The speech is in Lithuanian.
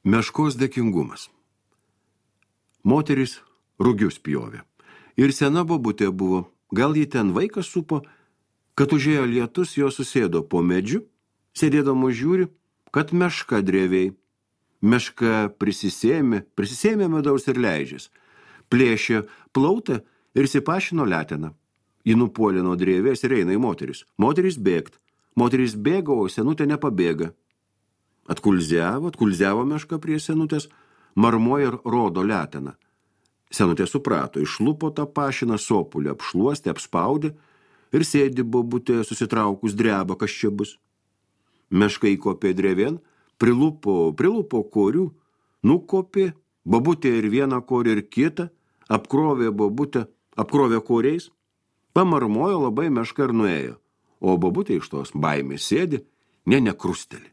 Meškos dėkingumas. Moteris rugius pjovė. Ir sena bobutė buvo. Gal ji ten vaikas supo, kad užėjo lietus, jo susėdo po medžiu, sėdėdamo žiūri, kad meška drėviai. Meška prisisėmė medaus ir leidžias. Plėšė plautą ir sipašino leteną. Ji nupuolė nuo drėvės ir eina į moteris. Moteris bėgt. Moteris bėga, o senutė nepabėga. Atkulziavo meška prie senutės, marmoja ir rodo leteną. Senutė suprato, išlupo tą pašiną, sopulį apšluostė, apspaudė ir sėdi bobutė susitraukus dreba, kas čia bus. Meška įkopė drėvien, prilupo korių, nukopė, bobutė ir vieną korį ir kitą, apkrovė bobutę, apkrovė koriais, pamarmojo labai meška ir nuėjo, o bobutė iš tos baimės sėdi, nekrusteli.